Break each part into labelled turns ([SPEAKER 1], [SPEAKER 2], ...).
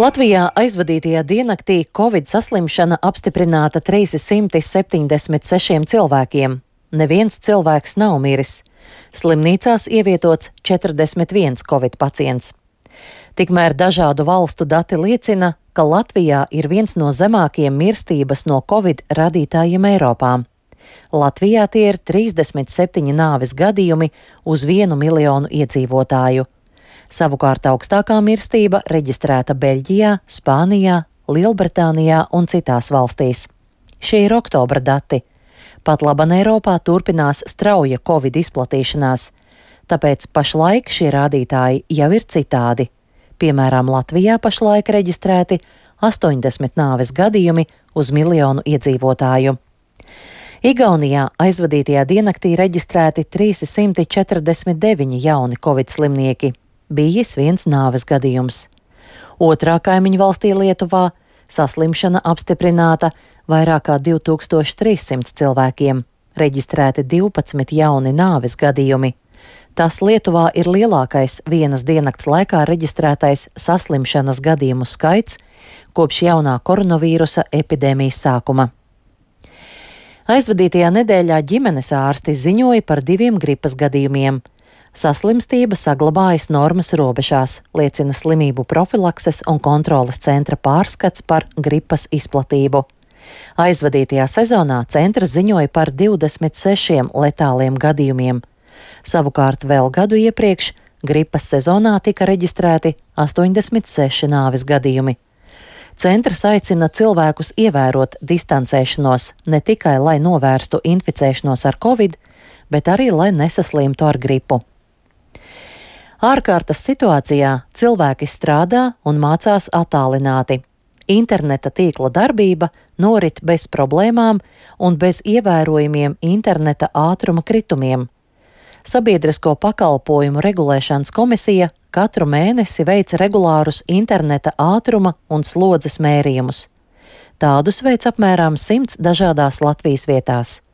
[SPEAKER 1] Latvijā aizvadītajā diennaktī Covid saslimšana apstiprināta 376 cilvēkiem. Neviens cilvēks nav miris. Slimnīcās ievietots 41 Covid pacients. Tikmēr dažādu valstu dati liecina, ka Latvijā ir viens no zemākajiem mirstības no Covid radītājiem Eiropā. Latvijā tie ir 37 nāves gadījumi uz 1 miljonu iedzīvotāju. Savukārt augstākā mirstība reģistrēta Beļģijā, Spānijā, Lielbritānijā un citās valstīs. Šie ir oktobra dati. Pat laban Eiropā turpinās strauja Covid izplatīšanās, tāpēc pašlaik šie rādītāji jau ir citādi. Piemēram, Latvijā pašlaik reģistrēti 80 nāves gadījumi uz miljonu iedzīvotāju. Igaunijā aizvadītajā diennaktī reģistrēti 349 jauni Covid slimnieki. Bijis viens nāves gadījums. Otrā kaimiņu valstī Lietuvā saslimšana apstiprināta vairāk kā 2300 cilvēkiem, reģistrēti 12 jauni nāves gadījumi. Tas Lietuvā ir lielākais vienas diennakts laikā reģistrētais saslimšanas gadījumu skaits kopš jaunā koronavīrusa epidēmijas sākuma. Aizvadītajā nedēļā ģimenes ārsti ziņoja par 2 gripas gadījumiem. Saslimstība saglabājas normas robežās, liecina Slimību profilakses un kontroles centra pārskats par gripas izplatību. Aizvadītajā sezonā centrs ziņoja par 26 letāliem gadījumiem. Savukārt vēl gadu iepriekš gripas sezonā tika reģistrēti 86 nāves gadījumi. Centrs aicina cilvēkus ievērot distancēšanos ne tikai, lai novērstu inficēšanos ar Covid, bet arī, lai nesaslimtu ar gripu. Ārkārtas situācijā cilvēki strādā un mācās attālināti. Interneta tīkla darbība norit bez problēmām un bez ievērojumiem interneta ātruma kritumiem. Sabiedrisko pakalpojumu regulēšanas komisija katru mēnesi veic regulārus interneta ātruma un slodzes mērījumus. Tādus veic apmēram 100 dažādās Latvijas vietās.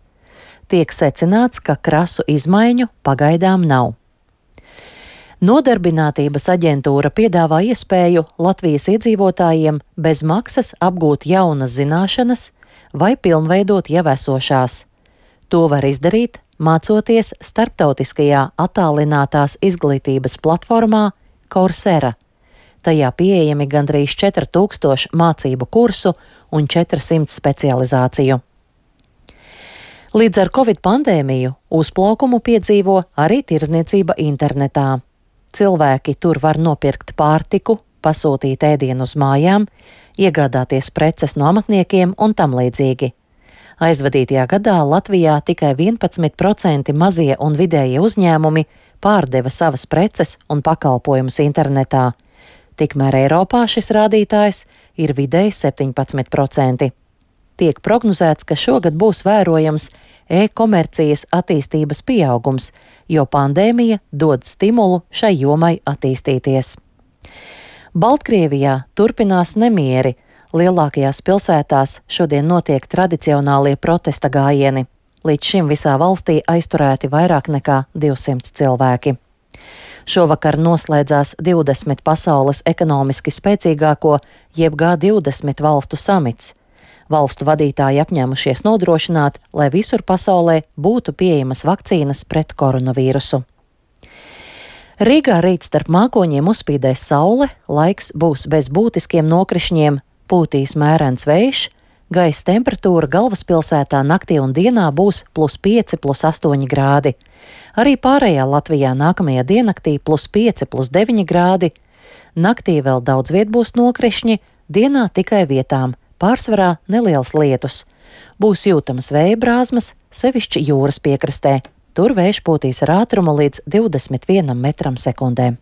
[SPEAKER 1] Tiek secināts, ka krasu izmaiņu pagaidām nav. Nodarbinātības aģentūra piedāvā iespēju Latvijas iedzīvotājiem bez maksas apgūt jaunas zināšanas vai pilnveidot jau esošās. To var izdarīt, mācoties starptautiskajā attālinātās izglītības platformā Coursera. Tajā pieejami gandrīz 4000 mācību kursu un 400 specializāciju. Līdz ar Covid pandēmiju uzplaukumu piedzīvo arī tirdzniecība internetā. Cilvēki tur var nopirkt pārtiku, pasūtīt ēdienu uz mājām, iegādāties preces no amatniekiem un tam līdzīgi. Aizvadītajā gadā Latvijā tikai 11% mazie un vidējie uzņēmumi pārdeva savas preces un pakalpojumus internetā. Tikmēr Eiropā šis rādītājs ir vidēji 17%. Tiek prognozēts, ka šogad būs vērojams e-komercijas attīstības pieaugums, jo pandēmija dod stimulu šai jomai attīstīties. Baltkrievijā turpinās nemieri. Lielākajās pilsētās šodien notiek tradicionālie protesta gājieni. Līdz šim visā valstī aizturēti vairāk nekā 200 cilvēki. Šovakar noslēdzās 20 pasaules ekonomiski spēcīgāko jeb G20 valstu samits. Valstu vadītāji apņēmušies nodrošināt, lai visur pasaulē būtu pieejamas vakcīnas pret koronavīrusu. Rīgā rīt starp mākoņiem uzspīdēs saule, laiks būs bez būtiskiem nokrišņiem, pūtīs mērens vējš, gaisa temperatūra galvaspilsētā naktī un dienā būs +5, +8 grādi. Arī pārējā Latvijā nākamajā diennaktī +5, +9 grādi. Naktī vēl daudz viet būs nokrišņi, dienā tikai vietām. Pārsvarā neliels lietus. Būs jūtamas vēja brāzmas, sevišķi jūras piekrastē. Tur vējš pūtīs ar ātrumu līdz 21 metram sekundē.